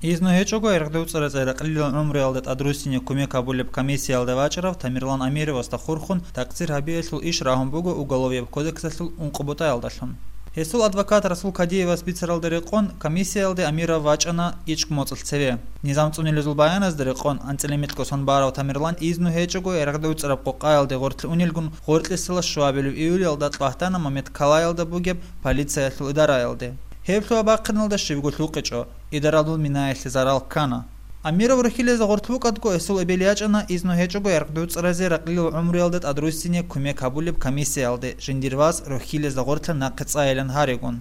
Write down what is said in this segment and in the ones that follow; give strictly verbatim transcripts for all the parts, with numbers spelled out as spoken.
Изну гьечӀого гӀергъи уцӀаразе ракълилал гӀумруялда тӀадруссине кумек гьабулеб комиссиялда вачӀарав Тамерлан Амировасда хурхун такъсир гьабиялъул иш рагьун буго Уголовияб кодексалъул ункъо бутӀаялдалъун. Гьесул адвокат Расул Кадиевас бицаралда рекъон, комиссиялде Амиров вачӀана ичӀго моцӀалъ цеве. Низам цӀунилезул баяназда рекъон, анцӀила микьго сон барав Тамерлан изну гьечӀого гӀергъи уцӀараб къокъаялде гъоркье унелгун, гъоркьесила щуабилеб июлялда Тлагьтана Мамедкалаялда бугеб полициялъул идараялде. Гьеб лъугьа-бахъиналда щибго лъукъичӀо, идараялъул минаялъе зарал ккана. Амиров рохьилезда гъоркь вукӀадго, гьесул эбел ячӀана изну гьечӀого гӀергъи уцӀаразе ракълилал гӀумруялда тӀадруссине кумек гьабулеб комиссиялде, жиндир вас рохьилезда гъоркье нахъе цӀайилан гьаригун.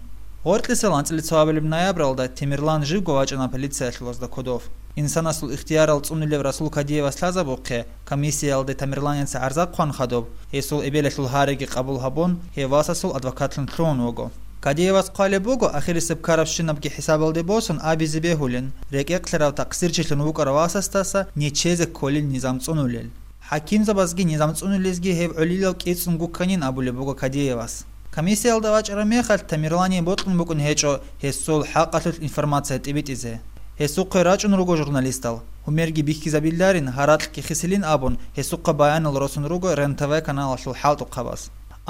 Гъоркьесел анцӀила цоабилеб ноябралда Тамерлан живго вачӀана полициялъулазда кодов. Инсанасул ихтиярал цӀунулев Расул Кадиевас лъазабухъе, комиссиялде Тамерланица гӀарза хъван хадуб, гьесул эбелалъул гьариги къабул гьабун, гьев васасул адвокатлъун лъугьун вуго. Кадиевас хъвалеб буго, ахирисеб ккарабщинабги хӀисабалде босун абизе бегьулин, рекӀекълъарав такъсирчилъун вукӀарав васасдаса нечезе кколин низам цӀунулел. ХӀакимзабазги низам цӀунулезги гьеб гӀолилал кӀицӀун гукканин абулеб буго Кадиевас. Комиссиялда вачӀараб мехалъ Тамерлание бокьун букӀун гьечӀо гьесул хӀакъалъулъ информация тӀибитӀизе. Гьесухъе рачӀун руго журналистал, гьумерги бихьизабиларин, гьаракьги хисилин абун, гьесухъа баянал росун руго Рен-ТВ каналалъул хӀалтӀухъабаз.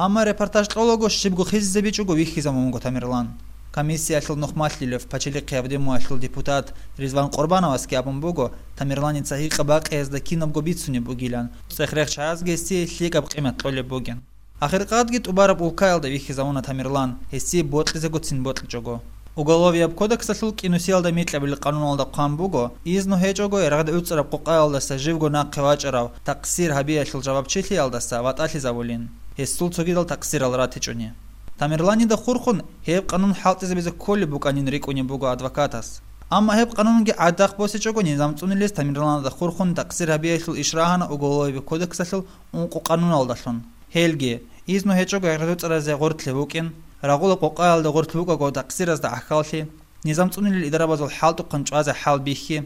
Амма репортаж кьолаго щибго хисизабичӀого вихьизабун вуго Тамерлан. Комиссиялъул нухмалъилев Пачалихъияб Думаялъул депутат Ризван Къурбановасги абун буго, Тамерланица гьикъа-бакъиязда кинабго бицунеб бугилан, цӀех-рехчаязги гьесие лъикӀаб къимат кьолеб бугин. Ахиркъадги тӀубараб улкаялда вихьизавуна Тамерлан, гьесие бокьизегоцин бокьичӀого. Уголовияб кодексалъул кӀинусиялда микьабилеб къануналда хъван буго, изну гьечӀого гӀергъи уцӀараб къокъаялдаса живго нахъе вачӀарав такъсир гьабиялъул жавабчилъиялдаса ватӀалъизавулин, гьесул цогидал такъсирал ратичӀони. Тамерланида хурхун гьеб къанун хӀалтӀизабизе кколеб букӀанин рикӀкӀунеб буго адвокатас. Амма гьеб къанунги гӀадахъ босичӀого низам цӀунилез Тамерланида хурхун такъсир гьабиялъул иш рагьана Уголовияб кодексалъул ункъо къануналдалъун. Гьелги, изну гьечӀого гӀергъи уцӀаразе гъоркье вукӀин, рагъула къокъаялда гъоркь вукӀаго такъсиразда гӀахьаллъи, низам цӀунилел идарабазул хӀалтӀухъан чӀвазе хӀал бихьи,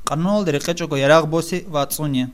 къануналде рекъечӀого ярагъ боси ва цӀуни.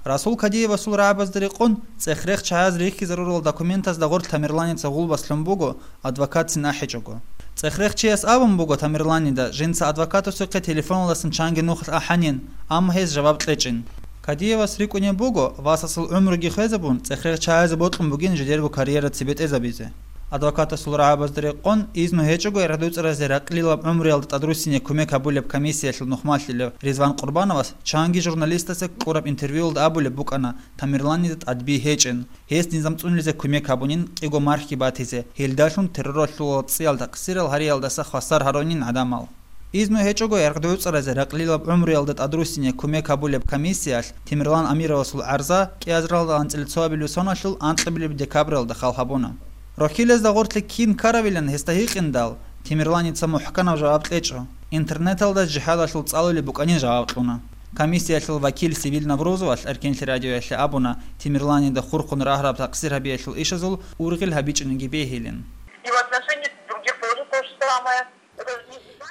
Расул Кадиевасул рагӀабазда рекъон, цӀех-рехчаяз рихьизарурал документазда гъоркь Тамерланица гъулбас лъун буго, адвокатцин ахӀичӀого. ЦӀех-рехчияс абун буго Тамерланида жинца адвокатасухъе телефоналдасан чанги нухалъ ахӀанин, амма гьес жаваб кьечӀин. Кадиевас рикӀкӀунеб буго, васасул гӀумруги хвезабун, цӀех-рехчаязе бокьун бугин жидерго карьера цебетӀезабизе. Адвокатасул рагӀабазда рекъон, изну гьечӀого гӀергъи уцӀаразе ракълилаб гӀумруялда тӀадруссине кумек гьабулеб комиссиялъул нухмалъилев Ризван Къурбановас чанги журналистасе кьураб интервьюялда абулеб букӀана Тамерланида тӀадби гьечӀин, гьес низам цӀунилизе кумек гьабунин кӀиго мархги батизе, гьелдалъун терроралъул ва цӀиял такъсирал гьариялдаса хвасар гьарунин гӀадамал. Изну гьечӀого гӀергъи уцӀаразе ракълилаб гӀумруялда тӀадруссине кумек гьабулеб комиссиялъ Тамерлан Амировасул гӀарза кӀиазаралда анцӀила цоабилеб соналъул анкьабилеб декабралда хал гьабуна. Рохьилезда гъоркье кин ккаравилан гьесда гьикъиндал, Тамерланица мухӀканаб жаваб кьечӀо, интернеталда жигьадалъул цӀалулеб букӀанин жаваб кьуна. Комиссиялъул вакил Сибил Наврузовалъ Эркенлъи радиоялъе абуна, Тамерланида хурхун рагьараб такъсир гьабиялъул ишазул ургъел гьабичӀониги бегьилин. И в отношении других тоже то же самое.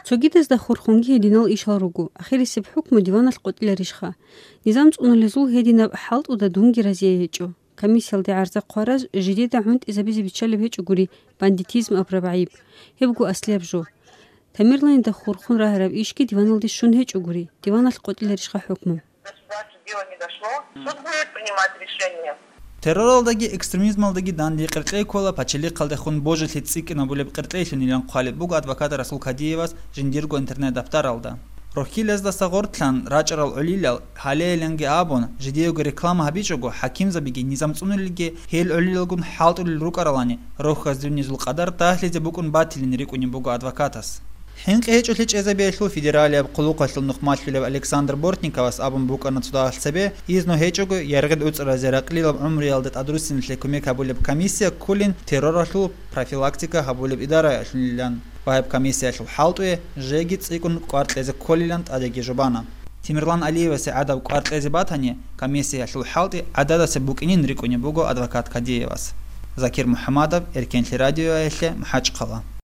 Цогидазда хурхунги гьединал ишал руго, ахирисеб хӀукму диваналъ къотӀиларищха? Низам цӀунулезул гьединаб хӀалтӀуда дунги разие гьечӀо. Комиссиялде гӀарза хъвараз жидеда гӀунтӀизабизе биччалеб гьечӀогури бандитизм абураб гӀайиб. Гьебго аслияб жо. Тамерланида хурхун рагьараб ишги диваналде щун гьечӀогури, диваналъ къотӀиларищха хӀукму? До суда дело не дошло. Суд будет принимать решение. Терроралдаги экстремизмалдаги данде къеркьей ккола пачалихъалдехун божилъи цӀикӀкӀинабулеб къеркьейлъунилан хъвалеб буго адвокат Расул Кадиевас жиндирго интернет-даптаралда. Рохьилаздаса гъортлъан рачӀарал гӀолилал гьалеялинги абун, жидеего реклама гьабичӀого, хӀакимзабиги низам цӀунулелги гьел гӀолилалгун хӀалтӀулел рукӀаралани, рохьаз дунизул къадар дагьлъизе букӀун батилин рикӀкӀунеб буго адвокатас. ХӀинкъи гьечӀолъи чӀезабиялъул федералияб хъулухъалъул нухмалъулев Александр Бортниковас абун букӀана цодагьалъ цебе, изну гьечӀого яргъид уцӀразе ракълилаб гӀумруялда тӀадруссиналъе кумек гьабулеб комиссия кколин терроралъул профилактика гьабулеб идараялъунилан ва гьеб комиссиялъул хӀалтӀуе жеги цӀикӀкӀун кӀвар кьезе кколилан тӀадеги жубана. Тамерлан Алиевасе гӀадаб кӀвар кьезе батани, комиссиялъул хӀалтӀи гӀададасеб букӀинин рикӀкӀунеб буго адвокат Кадиевас. Закир МухӀамадов, Эркенлъи радиоялъе, МахӀачхъала.